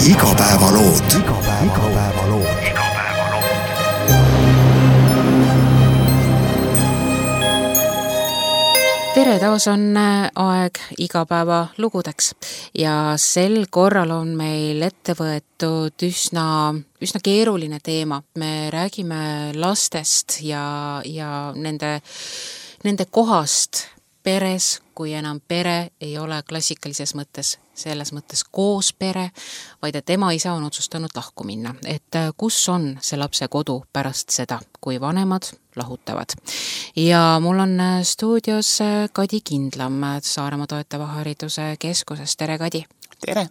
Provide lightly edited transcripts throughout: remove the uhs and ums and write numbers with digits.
Igapäevalood. Tere, taas on aeg igapäeva lugudeks ja sel korral on meil ette võetud üsna keeruline teema. Me räägime lastest ja nende kohast peres, kui enam pere ei ole klassikalises mõttes, selles mõttes koos pere, vaid et ema isa on otsustanud lahku minna. Et kus on see lapse kodu pärast seda, kui vanemad lahutavad. Ja mul on stuudios Kadi Kindlam Saaremaa toetava hariduse keskusest. Tere, Kadi! Tere!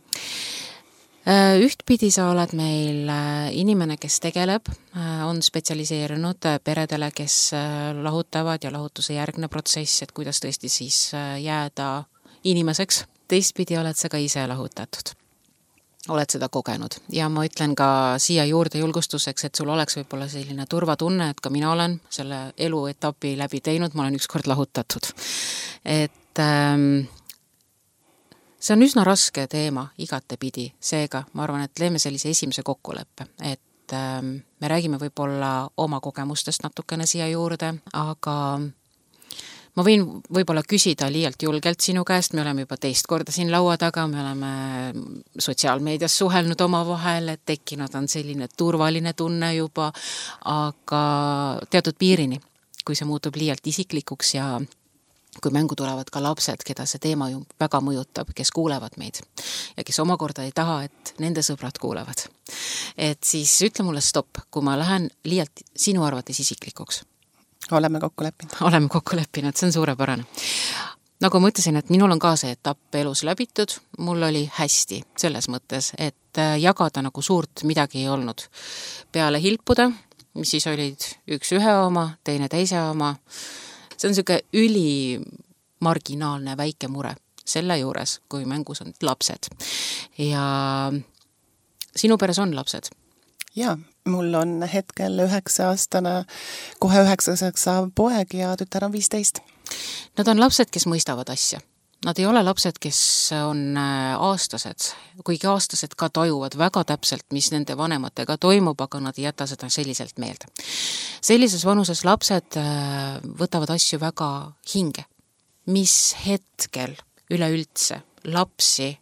Ühtpidi sa oled meil inimene, kes tegeleb, on spetsialiseerunud peredele, kes lahutavad ja lahutuse järgne protsess, et kuidas tõesti siis jääda inimeseks. Teistpidi oled sa ka ise lahutatud. Oled seda kogenud ja ma ütlen ka siia juurde julgustuseks, et sul oleks võib-olla selline turvatunne, et ka mina olen selle eluetapi läbi teinud, ma olen ükskord lahutatud. Et see on üsna raske teema igatepidi, seega ma arvan, et leeme sellise esimese kokkuleppe, et me räägime võib-olla oma kogemustest natukene siia juurde, aga ma võin võib-olla küsida liialt julgelt sinu käest, me oleme juba teist korda siin laua taga, me oleme sotsiaalmeedias suhelnud oma vahel, et tekkinud on selline turvaline tunne juba, aga teatud piirini, kui see muutub liialt isiklikuks ja kui mängu tulevad ka lapsed, keda see teema ju väga mõjutab, kes kuulevad meid ja kes omakorda ei taha, et nende sõbrad kuulevad. Et siis ütle mulle stopp, kui ma lähen liialt sinu arvates isiklikuks. Oleme kokku leppinud. Oleme kokku leppinud, see on suurepärane. Nagu ma ütlesin, et minul on ka see etapp elus läbitud, mul oli hästi selles mõttes, et jagada nagu suurt midagi ei olnud. Peale hilpuda, mis siis olid üks ühe oma, teine teise oma, see on selline ülimarginaalne väike mure selle juures, kui mängus on lapsed. Ja sinu peres on lapsed? Jaa, mul on hetkel 9-aastane, kohe 9-aastaseks saav poeg ja tütar on 15. Nad on lapsed, kes mõistavad asja. Nad ei ole lapsed, kes on aastased, kuigi aastased ka tajuvad väga täpselt, mis nende vanematega toimub, aga nad ei jäta seda selliselt meelde. Sellises vanuses lapsed võtavad asju väga hinge. Mis hetkel üleüldse lapsi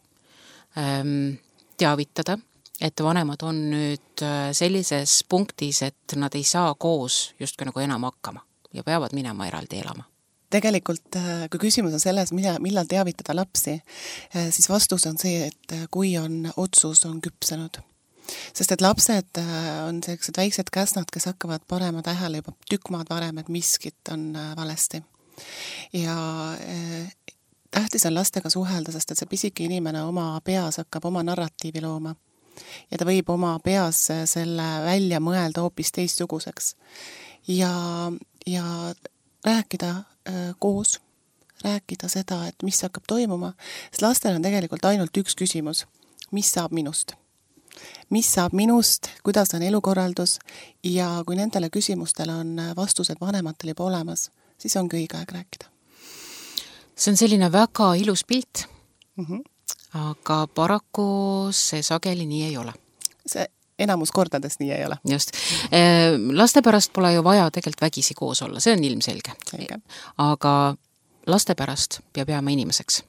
teavitada, et vanemad on nüüd sellises punktis, et nad ei saa koos justkui nagu enam hakkama ja peavad minema eraldi elama. Tegelikult, kui küsimus on selles, millal teavitada lapsi, siis vastus on see, et kui on otsus on küpsenud. Sest et lapsed on sellised väiksed käsnad, kes hakkavad panema tähele juba tükmaad varem, et miskit on valesti. Ja tähtis on lastega suhelda, sest et see pisike inimene oma peas hakkab oma narratiivi looma. Ja ta võib oma peas selle välja mõelda hoopis teistsuguseks. Ja rääkida koos, rääkida seda, et mis hakkab toimuma, sest lastel on tegelikult ainult üks küsimus. Mis saab minust? Mis saab minust, kuidas on elukorraldus ja kui nendele küsimustele on vastused vanematel juba olemas, siis ongi õige aeg rääkida. See on selline väga ilus pilt, aga paraku see sageli nii ei ole. See enamus kordades nii ei ole. Just. Laste pärast pole ju vaja tegelikult vägisi koos olla, see on ilmselge. Selge. Aga laste pärast peab jääma inimeseks,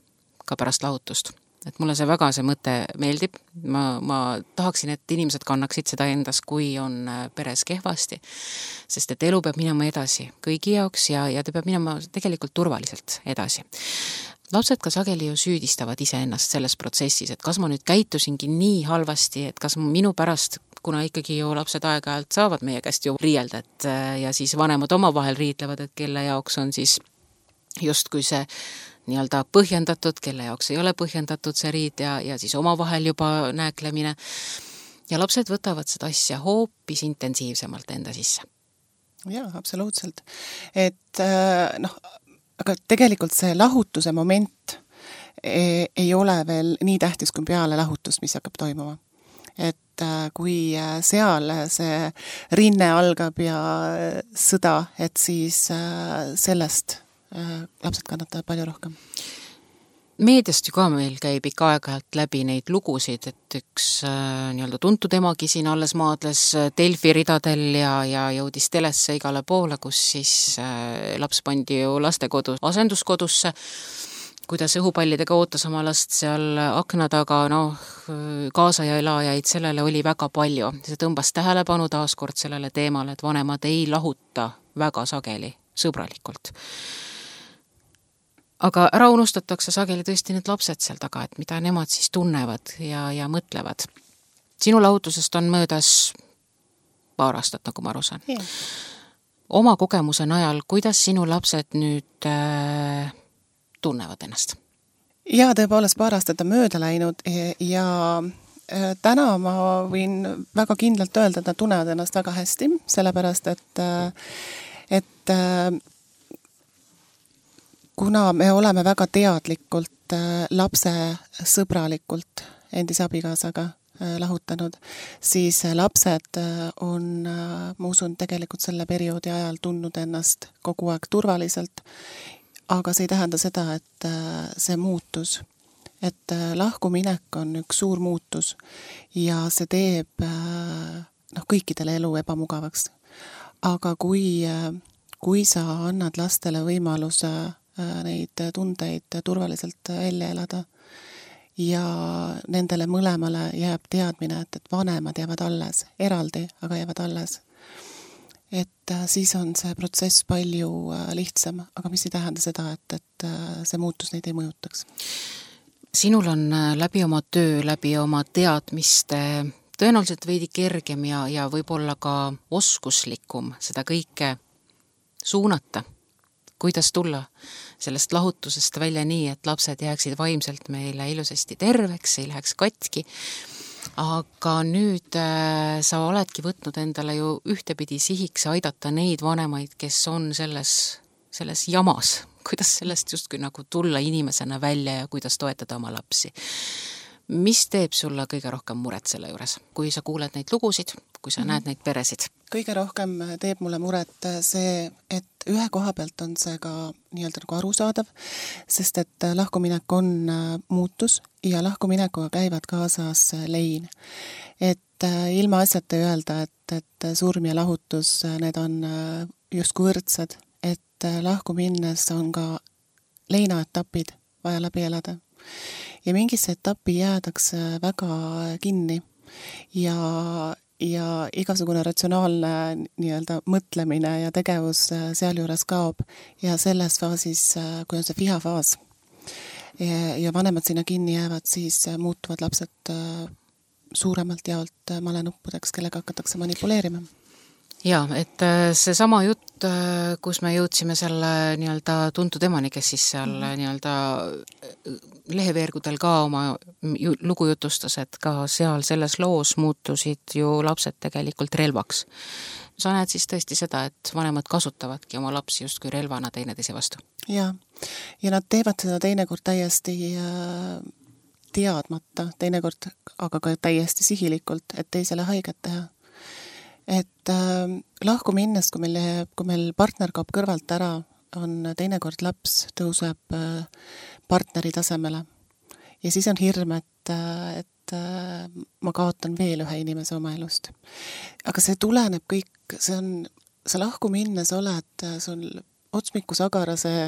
ka pärast lahutust. Et mulle see väga see mõte meeldib. Ma tahaksin, et inimesed kannaksid seda endas, kui on peres kehvasti, sest et elu peab minema edasi kõigi jaoks ja ta peab minema tegelikult turvaliselt edasi. Lapsed ka sageli ju süüdistavad iseennast selles protsessis, et kas ma nüüd käitusingi nii halvasti, et kas minu pärast, kuna ikkagi ju lapsed aeg-ajalt saavad meie käest ju riielda, ja siis vanemad oma vahel riidlevad, et kelle jaoks on siis justkui see nii-öelda põhjendatud, kelle jaoks ei ole põhjendatud see riid ja siis oma vahel juba nääklemine. Ja lapsed võtavad seda asja hoopis intensiivsemalt enda sisse. Jaa, absoluutselt. Et aga tegelikult see lahutuse moment ei ole veel nii tähtis kui peale lahutust, mis hakkab toimuma. Et kui seal see rinne algab ja sõda, et siis sellest lapsed kannatavad palju rohkem. meediast ju ka meil käib ikka aeg-ajalt läbi neid lugusid, et üks nii-öelda tuntud emagi siin alles maadles Delfi ridadel ja jõudis telesse igale poole, kus siis laps pandi ju lastekodu asenduskodusse, kuidas õhupallidega ootas oma last seal akna taga, kaasa ja elajaid, sellele oli väga palju. See tõmbas tähelepanu taaskord sellele teemale, et vanemad ei lahuta väga sageli, sõbralikult. Aga ära unustatakse sageli tõesti need lapsed seal taga, et mida nemad siis tunnevad ja mõtlevad. Sinu lahutusest on möödas paar aastat, nagu ma aru saan. Yeah. Oma kogemuse najal, kuidas sinu lapsed nüüd tunnevad ennast? Ja tõepoolest paar aastat on mööda läinud ja täna ma võin väga kindlalt öelda, et nad tunnevad ennast väga hästi, sellepärast et kuna me oleme väga teadlikult lapse sõbralikult endise abikaasaga lahutanud, siis lapsed on, ma usun, tegelikult selle perioodi ajal tundnud ennast kogu aeg turvaliselt, aga see ei tähenda seda, et see muutus, et lahkuminek on üks suur muutus ja see teeb kõikidele elu ebamugavaks. Aga kui sa annad lastele võimaluse neid tundeid turvaliselt välja elada ja nendele mõlemale jääb teadmine, et vanemad jäävad alles, eraldi, aga jäävad alles. Et siis on see protsess palju lihtsam, aga mis ei tähenda seda, et see muutus neid ei mõjutaks. Sinul on läbi oma töö, läbi oma teadmiste tõenäoliselt veidi kergem ja võib-olla ka oskuslikum seda kõike suunata. Kuidas tulla sellest lahutusest välja nii, et lapsed jääksid vaimselt meile ilusasti terveks, ei läheks katki. Aga nüüd sa oledki võtnud endale ju ühtepidi sihiks aidata neid vanemaid, kes on selles jamas. Kuidas sellest justkui nagu tulla inimesena välja ja kuidas toetada oma lapsi? Mis teeb sulle kõige rohkem muret selle juures, kui sa kuuled neid lugusid, kui sa näed neid peresid? Kõige rohkem teeb mulle muret see, et ühe koha pealt on see ka nii-öelda nagu arusaadav, sest et lahkuminek on muutus ja lahkuminekuga käivad kaasas lein. Et ilma asjata öelda, et surm ja lahutus, need on justkui võrdsed, et lahku minnes on ka leinaetapid vaja läbi elada. Ja mingisse etappi jäädakse väga kinni ja igasugune ratsionaalne nii-öelda mõtlemine ja tegevus sealjuures kaob ja selles faasis, kui on see vihafaas ja vanemad sinna kinni jäävad, siis muutuvad lapsed suuremalt jaolt malenuppudeks, kellega hakatakse manipuleerima. Ja, et see sama jutt, kus me jõudsime selle nii-öelda tuntud emani, kes siis seal nii-öelda leheveergudel ka oma lugu jutustas, et ka seal selles loos muutusid ju lapsed tegelikult relvaks. Sa näed siis tõesti seda, et vanemad kasutavadki oma lapsi justkui relvana teineteise vastu. Ja nad teevad seda teinekord täiesti teadmata, teinekord aga ka täiesti sihilikult, et teisele haiget teha. Et lahku minnes, kui meil partner kaob kõrvalt ära, on teinekord laps tõuseb partneri tasemele. Ja siis on hirm, et ma kaotan veel ühe inimese oma elust. Aga see tuleneb kõik, sa lahku minnes oled, sul otsmikus agara see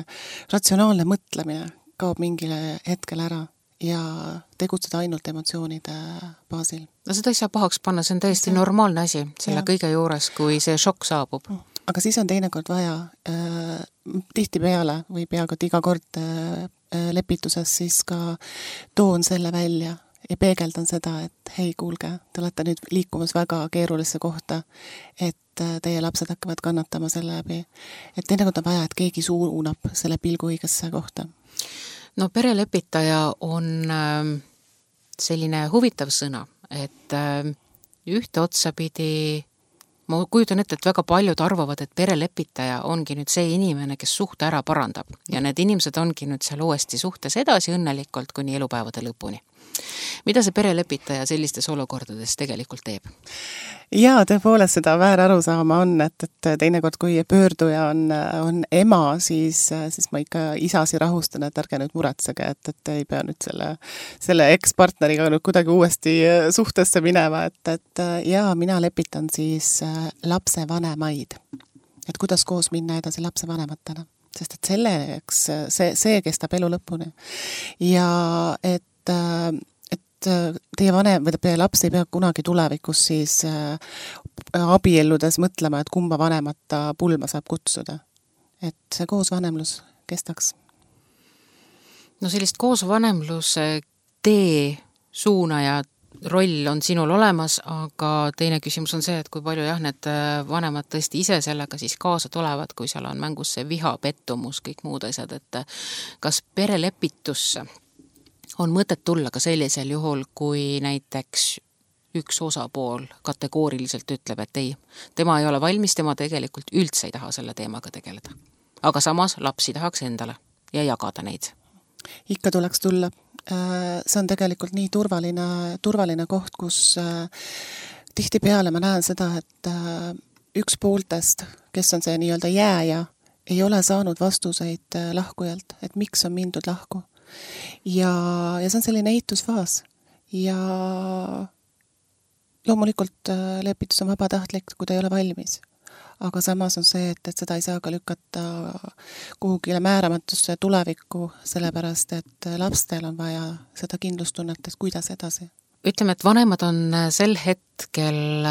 ratsionaalne mõtlemine kaob mingile hetkel ära ja tegutseda ainult emotsioonide baasil. No seda ei saa pahaks panna, see on täiesti normaalne asi selle kõige juures, kui see šokk saabub. Aga siis on teinekord vaja tihtipeale või peaaegu iga kord lepituses siis ka toon selle välja ja peegeldan seda, et hei, kuulge, te olete nüüd liikumas väga keerulisse kohta, et teie lapsed hakkavad kannatama selle läbi. Et teinekord on vaja, et keegi suunab selle pilgu õigesse kohta. No perelepitaja on selline huvitav sõna, et ühte otsapidi, ma kujutan ette, et väga paljud arvavad, et perelepitaja ongi nüüd see inimene, kes suhte ära parandab ja need inimesed ongi nüüd seal uuesti suhtes edasi õnnelikult kuni elupäevade lõpuni. Mida see perelepitaja sellistes olukordades tegelikult teeb? Jaa, tõepoolest seda väär aru saama on, et teinekord, kui pöörduja on ema, siis ma ikka isasi rahustan, et ärge nüüd muretsege, et ei pea nüüd selle ekspartneriga nüüd kuidagi uuesti suhtesse minema, et jaa, mina lepitan siis lapse vanemaid. Et kuidas koos minna edasi lapse vanematena, sest et selleks see kestab elu lõpuni. Ja et teie vanem või teie laps ei pea kunagi tulevikus siis abielludes mõtlema, et kumba vanemat ta pulma saab kutsuda. Et see koosvanemlus kestaks. No sellist koosvanemluse tee suunaja roll on sinul olemas, aga teine küsimus on see, et kui palju need vanemad tõesti ise sellega siis kaasa tulevad, kui seal on mängus see viha, pettumus, kõik muud asjad, et kas perelepitusse on mõtet tulla ka sellisel juhul, kui näiteks üks osapool kategooriliselt ütleb, et ei, tema ei ole valmis, tema tegelikult üldse ei taha selle teemaga tegeleda. Aga samas lapsi tahaks endale ja jagada neid. Ikka tuleks tulla. See on tegelikult nii turvaline koht, kus tihtipeale ma näen seda, et üks pooltest, kes on see nii-öelda jääja, ei ole saanud vastuseid lahkujalt, et miks on mindud lahku. Ja see on selline eitusfaas. Ja loomulikult lepitus on vabatahtlik, kui ta ei ole valmis. Aga samas on see, et seda ei saa ka lükata kuhugile määramatusse tulevikku, sellepärast, et lastel on vaja seda kindlustunnet, et kuidas edasi. Ütleme, et vanemad on sel hetkel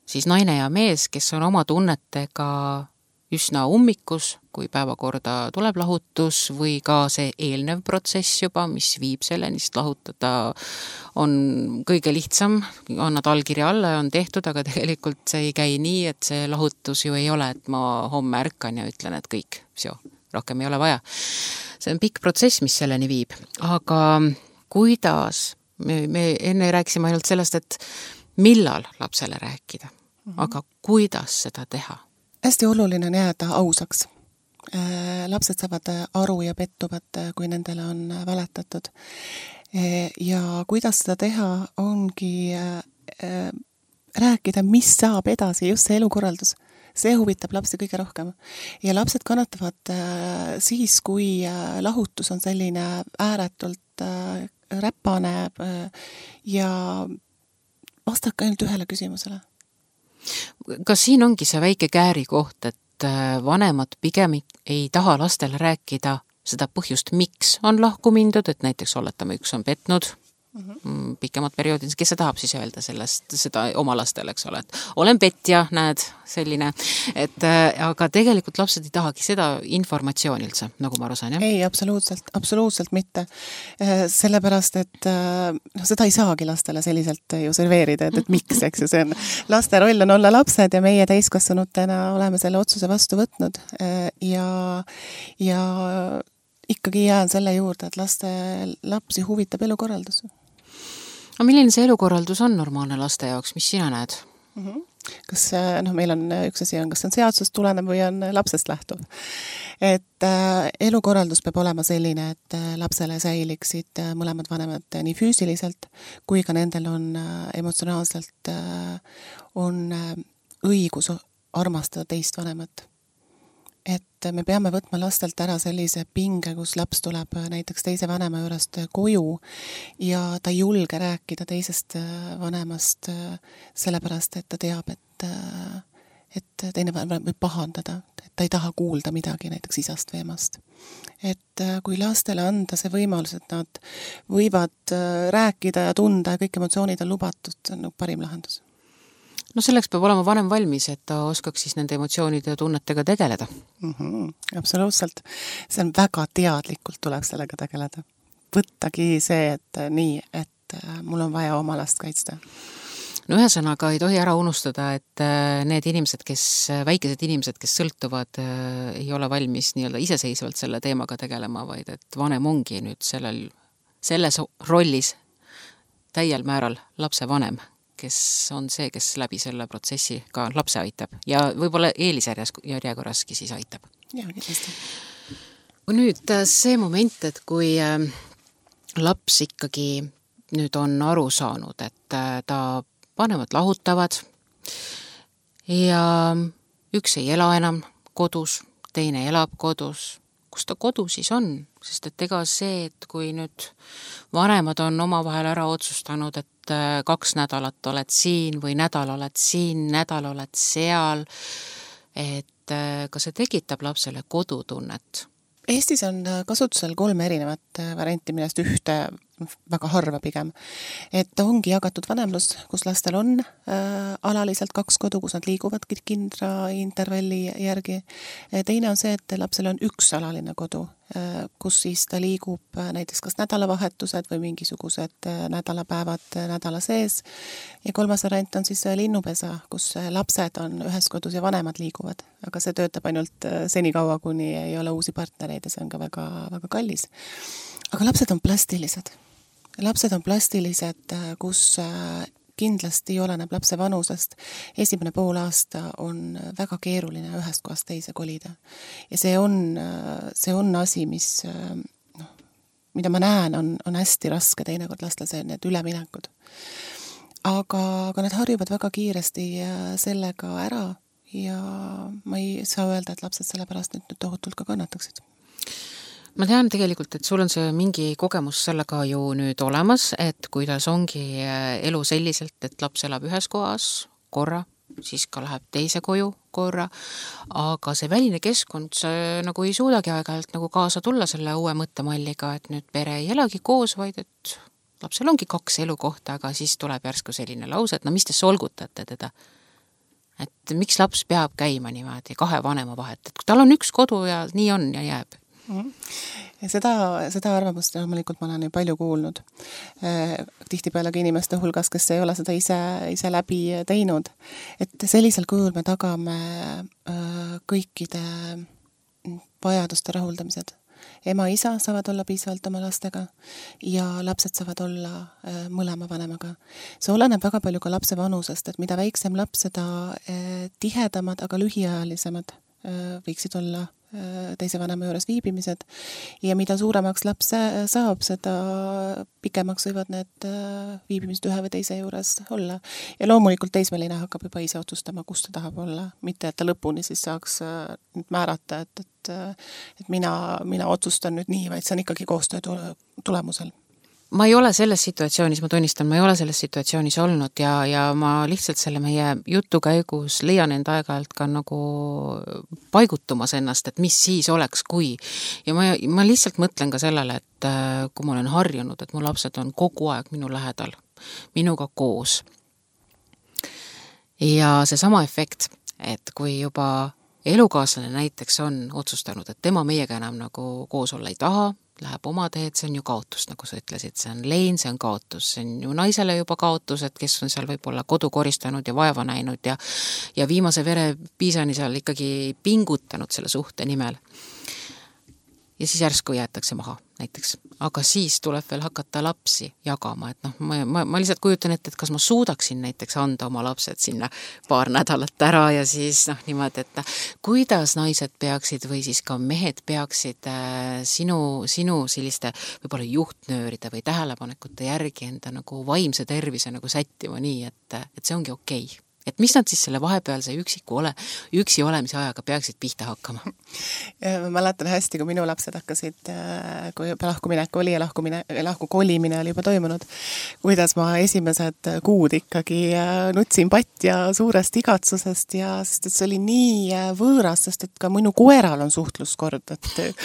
siis naine ja mees, kes on oma tunnetega üsna ummikus, kui päevakorda tuleb lahutus või ka see eelnev protsess juba, mis viib selleni, sest lahutada on kõige lihtsam, annad allkirja alla ja on tehtud, aga tegelikult see ei käi nii, et see lahutus ju ei ole, et ma homme ärkan ja ütlen, et kõik, rohkem ei ole vaja. See on pikk protsess, mis selleni viib, aga kuidas, me enne rääkisime ainult sellest, et millal lapsele rääkida, aga kuidas seda teha? Hästi oluline on jääda ausaks. Lapsed saavad aru ja pettuvad, kui nendele on valetatud. Ja kuidas seda teha, ongi rääkida, mis saab edasi, just see elukorraldus. See huvitab lapsi kõige rohkem. Ja lapsed kannatavad siis, kui lahutus on selline ääretult räpane ja vastake ainult ühele küsimusele. Kas siin ongi see väike kääri koht, et vanemad pigem ei taha lastele rääkida seda põhjust, miks on lahku mindud, et näiteks oletame, üks on petnud pikemad perioodid, kes see tahab siis öelda seda oma lastele, eks ole, et olen petja, näed, selline, et aga tegelikult lapsed ei tahagi seda informatsiooni üldse, nagu ma aru saan, jah? Ei, absoluutselt mitte. Sellepärast, et seda ei saagi lastele selliselt ju serveerida, et miks, eks ju, see on laste roll on olla lapsed ja meie täiskasvanutena oleme selle otsuse vastu võtnud ja ikkagi jään selle juurde, et lapsi huvitab elukorraldus. No milline see elukorraldus on normaalne laste jaoks, mis sina näed? Kas meil on üks asi on, kas on seadusest tulenev või on lapsest lähtuv. Et elukorraldus peab olema selline, et lapsele säiliksid mõlemad vanemad nii füüsiliselt, kui ka nendel on emotsionaalselt on õigus armastada teist vanemat. Et me peame võtma lastelt ära sellise pinge, kus laps tuleb näiteks teise vanema juurest koju ja ta ei julge rääkida teisest vanemast sellepärast, et ta teab, et teine vanem võib pahandada, et ta ei taha kuulda midagi näiteks isast või emast. Et kui lastele anda see võimalus, et nad võivad rääkida ja tunda ja kõik emotsioonid on lubatud, see on parim lahendus. No selleks peab olema vanem valmis, et ta oskaks siis nende emotsioonide ja tunnetega tegeleda. Absoluutselt. See on väga teadlikult tuleb sellega tegeleda. Võttagi see, et nii, et mul on vaja oma last kaitsta. No ühesõnaga ei tohi ära unustada, et need inimesed, väikesed inimesed, kes sõltuvad, ei ole valmis nii-öelda iseseisvalt selle teemaga tegelema, vaid et vanem ongi nüüd selles rollis täiel määral lapse vanem, kes on see, kes läbi selle protsessi ka lapse aitab ja võib-olla eelisjärjekorraski siis aitab. Jah, kindlasti. Nüüd see moment, et kui laps ikkagi nüüd on aru saanud, et ta vanemad lahutavad ja üks ei ela enam kodus, teine elab kodus. Kus ta kodu siis on? Sest et ega see, et kui nüüd vanemad on omavahel ära otsustanud, et 2 nädalat oled siin või nädal oled siin, nädal oled seal, et ka see tekitab lapsele kodutunnet. Eestis on kasutusel 3 erinevat varianti, millest ühte väga harva pigem. Et ongi jagatud vanemlus, kus lastel on alaliselt 2 kodu, kus nad liiguvad kindra intervalli järgi. Teine on see, et lapsel on 1 alaline kodu, kus siis ta liigub näiteks kas nädalavahetused või mingisugused nädalapäevad nädala sees. Ja 3. variant on siis linnupesa, kus lapsed on ühes kodus ja vanemad liiguvad. Aga see töötab ainult senikaua, kuni ei ole uusi partnereid ja see on ka väga, väga kallis. Aga lapsed on plastilised. Lapsed on plastilised, kus kindlasti oleneb lapse vanusest. Esimene pool aasta on väga keeruline ühest kohast teise kolida. Ja see on asi, mida ma näen, on hästi raske teinekord lastel see need üleminekud. Aga need harjuvad väga kiiresti sellega ära ja ma ei saa öelda, et lapsed selle pärast nüüd tohutult ka kannataksid. Ma tean tegelikult, et sul on see mingi kogemus sellega ju nüüd olemas, et kuidas ongi elu selliselt, et laps elab ühes kohas korra, siis ka läheb teise koju korra, aga see väline keskkond see nagu ei suudagi aeg-ajalt nagu kaasa tulla selle uue mõttemalliga, et nüüd pere ei elagi koos, vaid et lapsel ongi 2 elukohta, aga siis tuleb järsku selline lause, et no mis te solgutate teda? Et miks laps peab käima niimoodi 2 vanema vahet, et tal on 1 kodu ja nii on ja jääb. Ja seda arvamust loomulikult ma olen ju palju kuulnud. Tihtipeale ka inimeste hulgas, kes ei ole seda ise läbi teinud. Et sellisel kujul me tagame kõikide vajaduste rahuldamised. Ema-isa saavad olla piisavalt oma lastega ja lapsed saavad olla mõlema vanemaga. See oleneb väga palju ka lapse vanusest, et mida väiksem laps, seda tihedamad, aga lühiajalisemad võiksid olla teise vanema juures viibimised ja mida suuremaks laps saab, seda pikemaks võivad need viibimised ühe või teise juures olla. Ja loomulikult teismeline hakkab juba ise otsustama, kus ta tahab olla, mitte et ta lõpuni siis saaks määrata, et mina otsustan nüüd nii, vaid see on ikkagi koostöö tulemusel. Ma ei ole selles situatsioonis, ma tunnistan, ma ei ole selles situatsioonis olnud ja ma lihtsalt selle meie jutu käigus leian enda aeg-ajalt ka nagu paigutumas ennast, et mis siis oleks, kui. Ja ma lihtsalt mõtlen ka sellele, et kui ma olen harjunud, et mu lapsed on kogu aeg minu lähedal, minuga koos. Ja see sama efekt, et kui juba elukaaslane näiteks on otsustanud, et tema meiega enam nagu koos olla ei taha, läheb oma teed, see on ju kaotus, nagu sa ütlesid, see on lein, see on kaotus, see on ju naisele juba kaotus, et kes on seal võib-olla kodu koristanud ja vaeva näinud ja viimase vere piisani seal ikkagi pingutanud selle suhte nimel. Ja siis järsku jäetakse maha näiteks. Aga siis tuleb veel hakata lapsi jagama, et ma lihtsalt kujutan ette, et kas ma suudaksin näiteks anda oma lapsed sinna 2 nädalat ära ja siis niimoodi, et kuidas naised peaksid või siis ka mehed peaksid sinu selliste võib-olla juhtnööride või tähelepanekute järgi enda nagu vaimse tervise nagu sättima nii, et see ongi okei. Et mis nad siis selle vahepealse üksi olemise ajaga peaksid pihta hakkama? Ma mäletan hästi, kui minu lapsed hakkasid, kui juba lahkuminek oli ja lahkukolimine oli juba toimunud, kuidas ma esimesed kuud ikkagi nutsin patja suurest igatsusest ja sest et see oli nii võõras, sest et ka minu koeral on suhtluskord, et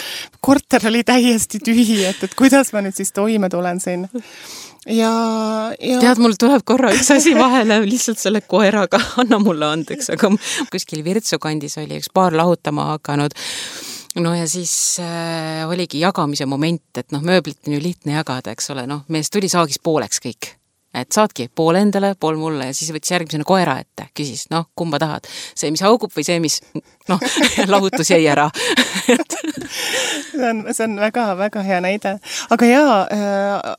korter oli täiesti tühi, et kuidas ma nüüd siis toime tulen siin. Ja... Tead, mul tuleb korra üks asi vahele lihtsalt selle koeraga, anna mulle andeks, aga kuskil Virtsu kandis oli üks paar lahutama hakanud. No ja siis oligi jagamise moment, et mööblit on ju lihtne jagada, eks ole, mees tuli saagis pooleks kõik. Et saadki pool endale, pool mulle ja siis võttis järgmisena koera ette, küsis, kumba tahad. See, mis haugub või see, mis noh, lahutus jäi ära. see on väga hea näide. Aga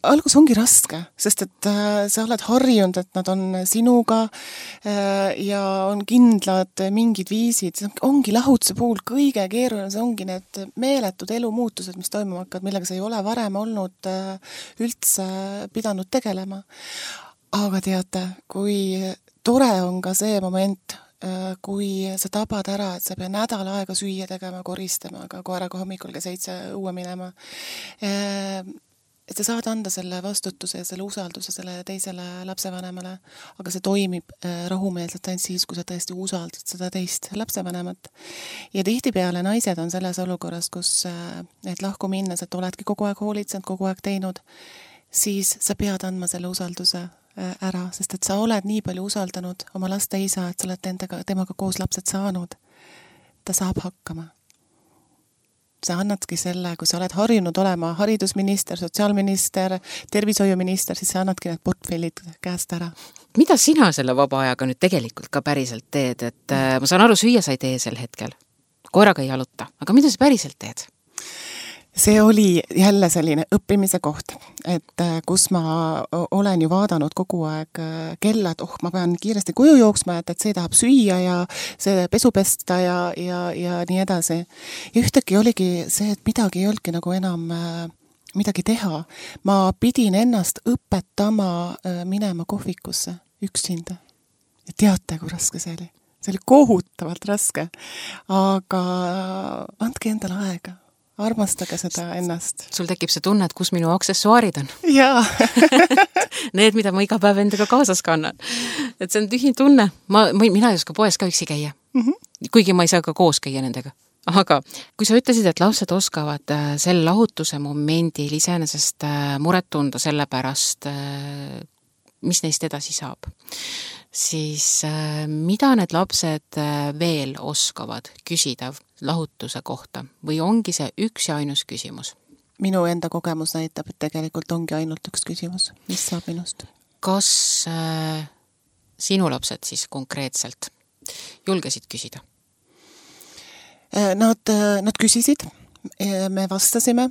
algus ongi raske, sest et sa oled harjunud, et nad on sinuga ja on kindlad mingid viisid. Ongi lahutuse puhul kõige keeruline, see ongi need meeletud elumuutused, mis toimuma hakkavad, millega sa ei ole varem olnud üldse pidanud tegelema. Aga teate, kui tore on ka see moment, kui sa tabad ära, et sa pea nädal aega süüa tegema, koristama, aga koeraga hommikul ka 7 õue minema. Et sa saad anda selle vastutuse ja selle usalduse selle teisele lapsevanemale, aga see toimib rahumeelselt ainult siis, kui sa tõesti usaldad seda teist lapsevanemat. Ja tihtipeale naised on selles olukorras, kus et lahku minnes, et oledki kogu aeg hoolitsenud, kogu aeg teinud, siis sa pead andma selle usalduse ära, sest et sa oled nii palju usaldanud oma laste isa, et sa oled temaga koos lapsed saanud. Ta saab hakkama. Sa annadki selle, kui sa oled harjunud olema haridusminister, sotsiaalminister, tervishoiuminister, siis sa annadki need portfellid käest ära. Mida sina selle vaba ajaga nüüd tegelikult ka päriselt teed? Et ma saan aru, süüa sa ei tee sel hetkel. Koeraga ei jaluta. Aga mida sa päriselt teed? See oli jälle selline õppimise koht, et kus ma olen ju vaadanud kogu aeg kella, et ma pean kiiresti koju jooksma, et see tahab süüa ja see pesu pesta ja nii edasi. Ja ühtegi oligi see, et midagi ei olnudki nagu enam midagi teha. Ma pidin ennast õpetama minema kohvikusse üksinda. Ja teate, kui raske see oli? See oli kohutavalt raske, aga andke endale aega. Armastage seda ennast. Sul tekib see tunne, et kus minu aksessuaarid on. Jaa. Need, mida ma iga päev endaga kaasas kannan. Et see on tühi tunne. Mina ei oska poes ka üksi käia. Kuigi ma ei saa ka koos käia nendega. Aga kui sa ütlesid, et lapsed oskavad selle lahutuse momendil iseenesest muret tunda selle pärast, mis neist edasi saab, siis mida need lapsed veel oskavad küsida lahutuse kohta või ongi see üks ja ainus küsimus? Minu enda kogemus näitab, et tegelikult ongi ainult üks küsimus, mis saab minust. Kas sinu lapsed siis konkreetselt julgesid küsida? Nad küsisid, me vastasime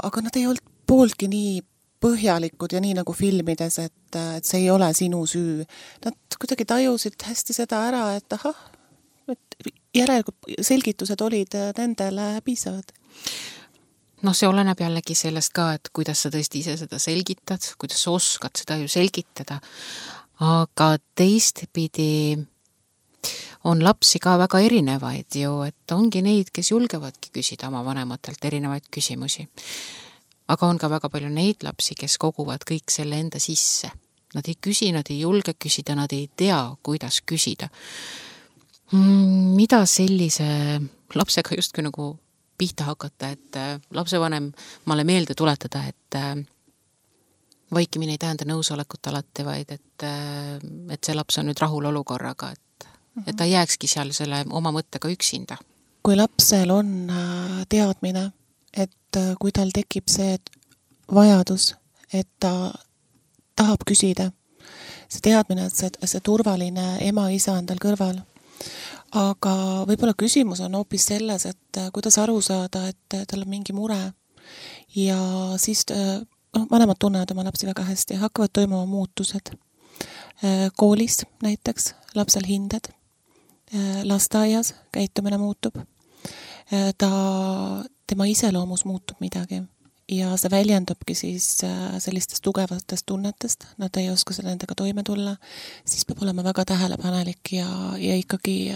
aga nad ei olnud pooltki nii põhjalikud ja nii nagu filmides, et see ei ole sinu süü. Nad kuidagi tajusid hästi seda ära, et et järelikult selgitused olid nendele piisavad. No see oleneb jällegi sellest ka, et kuidas sa tõesti ise seda selgitad, kuidas sa oskad seda ju selgitada. Aga teistpidi on lapsi ka väga erinevaid ju, et ongi neid, kes julgevadki küsida oma vanematelt erinevaid küsimusi. Aga on ka väga palju neid lapsi, kes koguvad kõik selle enda sisse. Nad ei küsi, nad ei julge küsida, nad ei tea, kuidas küsida. Mida sellise lapsega justki nagu pihta hakata, et lapsevanem maale meelde tuletada, et vaikimine ei tähenda nõusolekut alati, vaid et see laps on nüüd rahul olukorraga, et ta jääkski seal selle oma mõttega üksinda. Kui lapsel on teadmine, et kui tal tekib see vajadus, et ta tahab küsida, see teadmine, et see turvaline ema-isa on tal kõrval. Aga võib-olla küsimus on hoopis selles, et kuidas aru saada, et tal on mingi mure ja siis vanemad tunnevad oma lapsi väga hästi, hakkavad toimuma muutused. Koolis näiteks lapsel hinded, lasteaias käitumine muutub, tema iseloomus muutub midagi ja see väljendubki siis sellistest tugevatest tunnetest, nad ei oska nendega toime tulla, siis peab olema väga tähelepanelik ja ikkagi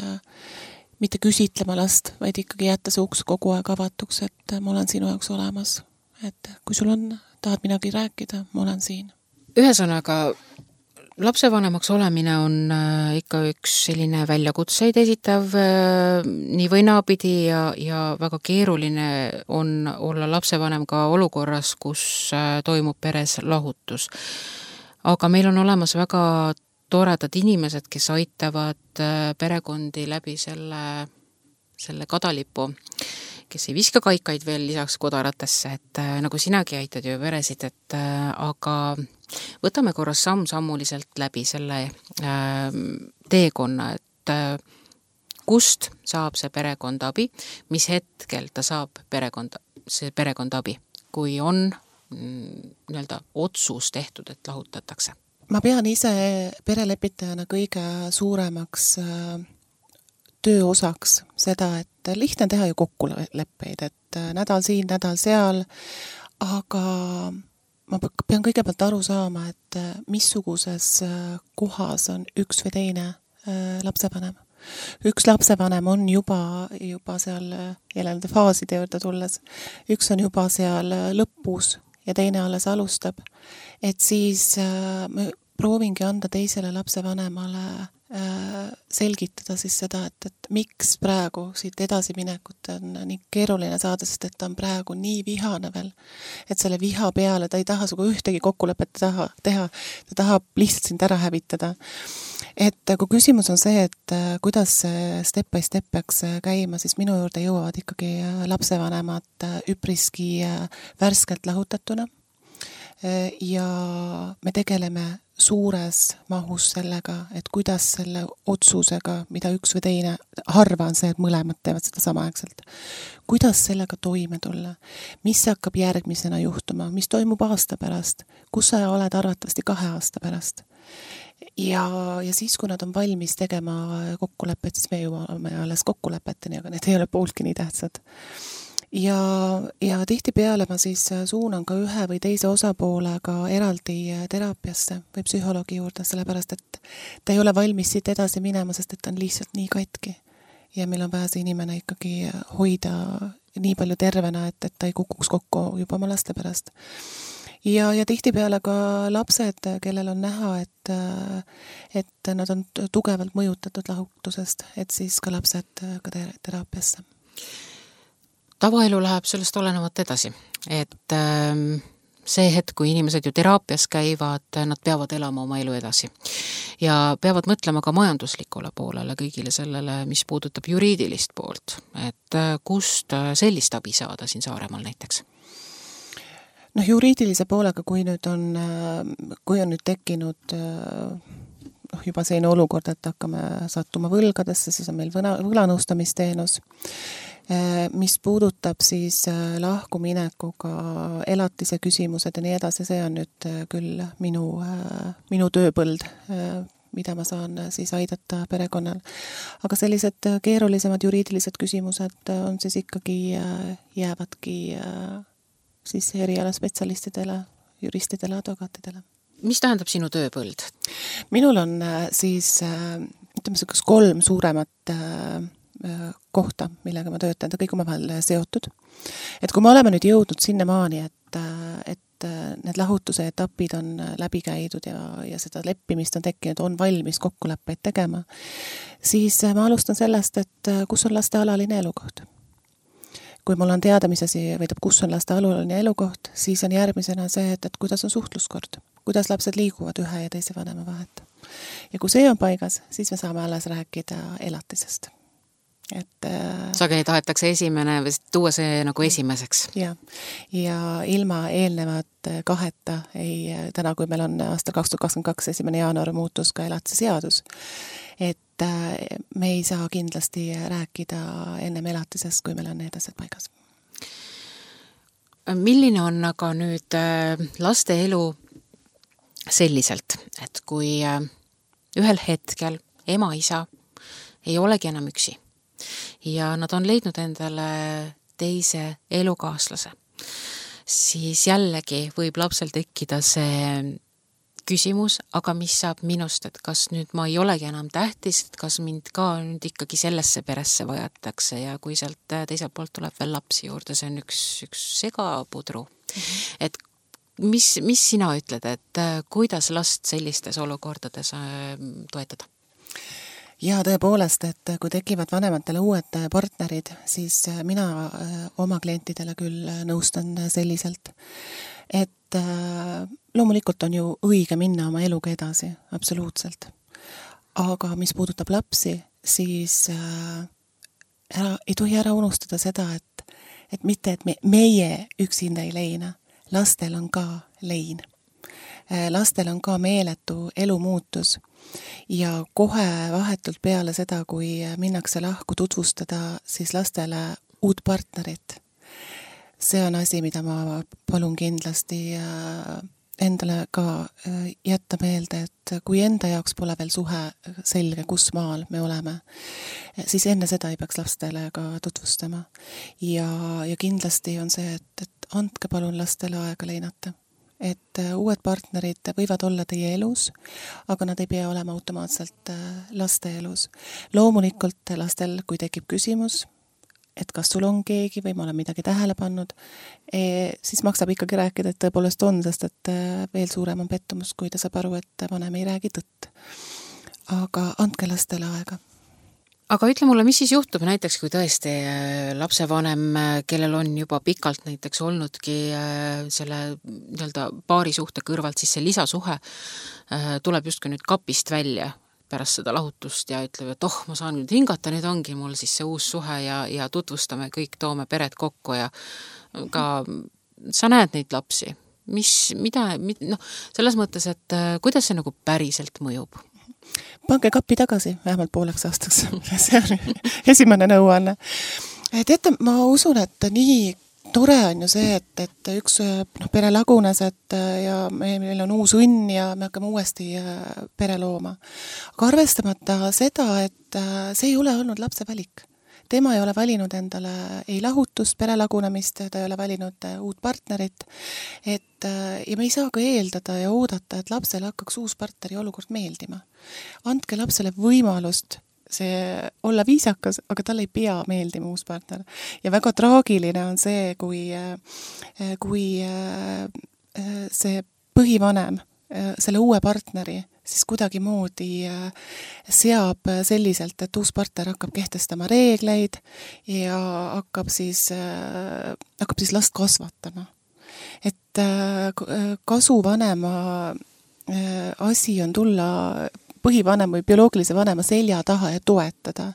mitte küsitlema last, vaid ikkagi jätta see uks kogu aeg avatuks, et ma olen sinu jaoks olemas. Et kui sul tahad midagi rääkida, ma olen siin. Ühesõnaga, lapsevanemaks olemine on ikka üks selline väljakutseid esitav nii või naapidi ja väga keeruline on olla lapsevanem ka olukorras, kus toimub peres lahutus. Aga meil on olemas väga toredad inimesed, kes aitavad perekondi läbi selle kadalipu, kes ei viska kaikaid veel lisaks kodaratesse, et nagu sinagi aitad ju peresid, aga Võtame korras samm-sammuliselt läbi selle teekonna, et kust saab see perekond abi, mis hetkel ta saab see perekond abi, kui on nii-öelda otsus tehtud, et lahutatakse? Ma pean ise perelepitajana kõige suuremaks tööosaks seda, et lihtne teha ju kokkuleppeid, et nädal siin, nädal seal, aga ma pean kõigepealt aru saama, et missuguses kohas on üks või teine lapsevanem. Üks lapsevanem on juba seal jälle faaside juurde tulles, üks on juba seal lõpus ja teine alles alustab, et siis me proovingi anda teisele lapsevanemale selgitada siis seda, et miks praegu siit edasiminekut on nii keeruline saada, sest et ta on praegu nii vihane veel, et selle viha peale ta ei taha sugu ühtegi kokkulepet teha, ta tahab lihtsalt sind ära hävitada. Et kui küsimus on see, et kuidas step by step peaks käima, siis minu juurde jõuavad ikkagi lapsevanemad üpriski värskelt lahutatuna ja me tegeleme suures mahus sellega, et kuidas selle otsusega, mida üks või teine, harva on see, et mõlemad teevad seda samaaegselt. Kuidas sellega toime tulla? Mis hakkab järgmisena juhtuma? Mis toimub aasta pärast? Kus sa oled arvatavasti 2 aasta pärast? Ja siis, kui nad on valmis tegema kokkulepet, siis me jõuame alles kokkulepeteni, aga need ei ole pooltki nii tähtsad. Ja tihtipeale ma siis suunan ka ühe või teise osapoolega eraldi teraapiasse või psühholoogi juurde, sellepärast et ta ei ole valmis siit edasi minema, sest et ta on lihtsalt nii katki. Ja meil on vaja see inimene ikkagi hoida nii palju tervena, et ta ei kukuks kokku juba oma laste pärast. Ja tihtipeale ka lapsed, kellel on näha, et nad on tugevalt mõjutatud lahutusest, et siis ka lapsed ka teraapiasse. Tavaelu läheb sellest olenevat edasi, et see hetk, kui inimesed ju teraapias käivad, nad peavad elama oma elu edasi ja peavad mõtlema ka majanduslikule poolele, kõigile sellele, mis puudutab juriidilist poolt, et kust sellist abi saada siin Saaremaal näiteks? Juriidilise poolega, kui on nüüd tekkinud juba selline olukord, et hakkame sattuma võlgadesse, siis on meil võlanõustamisteenus, mis puudutab siis lahkuminekuga elatise küsimused ja nii edasi, see on nüüd küll minu tööpõld, mida ma saan siis aidata perekonnal. Aga sellised keerulisemad juriidilised küsimused on siis ikkagi jäävadki siis erialaspetsialistidele, juristidele, advokaatidele. Mis tähendab sinu tööpõld? Minul on siis, ütleme, 3 suuremat kohta, millega ma töötan, ta kõik omavahel seotud. Et kui me oleme nüüd jõudnud sinnamaani, et need lahutuse etapid on läbi käidud ja seda leppimist on tekkinud, on valmis kokkuleppeid tegema, siis ma alustan sellest, et kus on laste alaline elukoht. Kui mul on teada, mis asi veidab, kus on laste alaline elukoht, siis on järgmisena see, et kuidas on suhtluskord, kuidas lapsed liiguvad ühe ja teise vanema vahet. Ja kui see on paigas, siis me saame alles rääkida elatisest. Sageli tahetakse esimene või tuua see nagu esimeseks. Ja ilma eelnevat kaheta täna, kui meil on aastal 2022 1. jaanuar muutus ka elatise seadus, et me ei saa kindlasti rääkida ennem elatisest, kui meil on need asjad paigas. Milline on aga nüüd laste elu selliselt, et kui ühel hetkel ema-isa ei olegi enam üksi ja nad on leidnud endale teise elukaaslase, siis jällegi võib lapsel tekkida see küsimus, aga mis saab minust, et kas nüüd ma ei olegi enam tähtis, et kas mind ka nüüd ikkagi sellesse peresse vajatakse ja kui sealt teiselt poolt tuleb veel lapsi juurde, see on üks segapudru. Et mis sina ütled, et kuidas last sellistes olukordades toetada? Ja tõepoolest, et kui tekivad vanematele uued partnerid, siis mina oma klientidele küll nõustan selliselt, et loomulikult on ju õige minna oma eluga edasi, absoluutselt. Aga mis puudutab lapsi, siis ei tohi ära unustada seda, et mitte, et meie üksinda ei leina, lastel on ka lein. lastel on ka meeletu elumuutus ja kohe vahetult peale seda, kui minnakse lahku tutvustada siis lastele uut partnerit. See on asi, mida ma palun kindlasti endale ka jätta meelde, et kui enda jaoks pole veel suhe selge, kus maal me oleme, siis enne seda ei peaks lastele ka tutvustama. Ja kindlasti on see, et andke palun lastele aega leinata. Et uued partnerid võivad olla teie elus, aga nad ei pea olema automaatselt laste elus. Loomulikult lastel, kui tekib küsimus, et kas sul on keegi või ma olen midagi tähele pannud, siis maksab ikkagi rääkida, et tõepoolest on, sest et veel suurem on pettumus, kui ta saab aru, et vanem ei räägi tõtt. Aga andke lastele aega. Aga ütle mulle, mis siis juhtub näiteks, kui tõesti lapsevanem, kellel on juba pikalt näiteks olnudki selle nii-öelda paarisuhte kõrvalt, siis see lisasuhe tuleb justkui nüüd kapist välja pärast seda lahutust ja ütleb, et ma saan nüüd hingata, nüüd ongi mul siis see uus suhe ja tutvustame kõik, toome pered kokku ja ka sa näed neid lapsi. Selles mõttes, et kuidas see nagu päriselt mõjub? Pange kappi tagasi, vähemalt pooleks aastaks. See on esimene nõuanne. Teate, ma usun, et nii tore on ju see, et üks pere lagunes, ja meil on uus õnn ja me hakkame uuesti pere looma. Aga arvestamata seda, et see ei ole olnud lapse valik. Tema ei ole valinud endale ei lahutust, pere lagunemist, ta ei ole valinud uut partnerit. Ja me ei saa ka eeldada ja oodata, et lapsele hakkaks uus partneri olukord meeldima. Andke lapsele võimalust see olla viisakas, aga tal ei pea meeldima uus partner. Ja väga traagiline on see, kui see põhivanem selle uue partneri siis kuidagi moodi seab selliselt, et uus partner hakkab kehtestama reegleid ja hakkab siis last kasvatama. Et kasuvanema asi on tulla põhivanem või bioloogilise vanema selja taha ja toetada.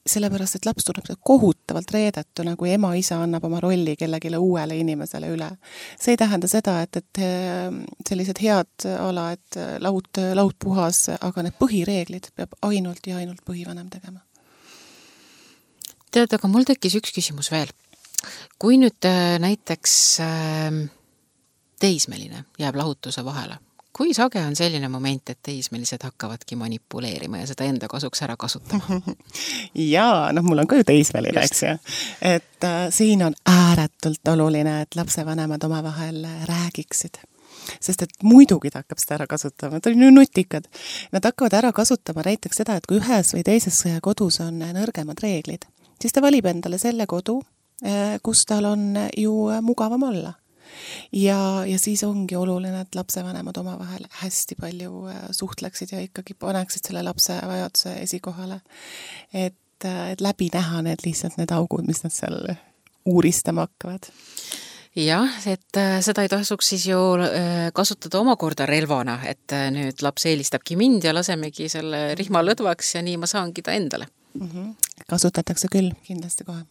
Sellepärast, et laps tunneb kohutavalt reedetuna, kui ema-isa annab oma rolli kellegile uuele inimesele üle. See ei tähenda seda, et sellised head ala, et laud puhas, aga need põhireeglid peab ainult ja ainult põhivanem tegema. Tead, aga mul tekkis üks küsimus veel. Kui nüüd näiteks teismeline jääb lahutuse vahele, kui sage on selline moment, et teismelised hakkavadki manipuleerima ja seda enda kasuks ära kasutama? Jaa, mul on ka ju teismeline, eks ju. Et siin on ääretult oluline, et lapsevanemad omavahel räägiksid. Sest et muidugi ta hakkab seda ära kasutama, ta on ju nutikad. Nad hakkavad ära kasutama näiteks seda, et kui ühes või teises kodus on nõrgemad reeglid, siis ta valib endale selle kodu, kus tal on ju mugavam olla. Ja siis ongi oluline, et lapsevanemad omavahel hästi palju suhtleksid ja ikkagi paneksid selle lapse vajaduse esikohale. Et läbi näha need augud, mis nad seal uuristama hakkavad. Jah, et seda ei tasuks siis ju kasutada omakorda relvana, et nüüd laps eelistabki mind ja lasemegi selle rihma lõdvaks ja nii ma saangi ta endale. Kasutatakse küll, kindlasti kohe.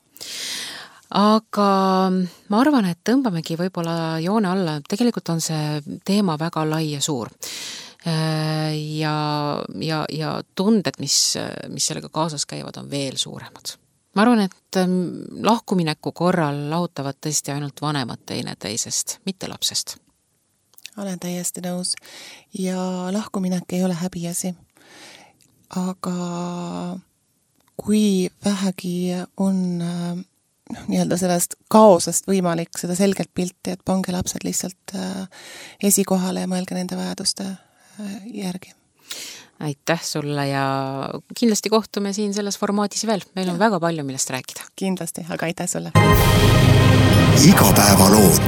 Aga ma arvan, et tõmbamegi võib-olla joone alla. Tegelikult on see teema väga lai ja suur. Ja tunded, mis sellega kaasas käivad, on veel suuremad. Ma arvan, et lahkumineku korral lahutavad tõesti ainult vanemad teineteisest, mitte lapsest. Olen täiesti nõus. Ja lahkuminek ei ole häbiasi. Aga kui vähegi on nii-öelda sellest kaosest võimalik seda selgelt pilti, et pange lapsed lihtsalt esikohale ja mõelge nende vajaduste järgi. Aitäh sulle ja kindlasti kohtume siin selles formaadis veel. Meil on väga palju, millest rääkida. Kindlasti, aga aitäh sulle. Igapäevalood.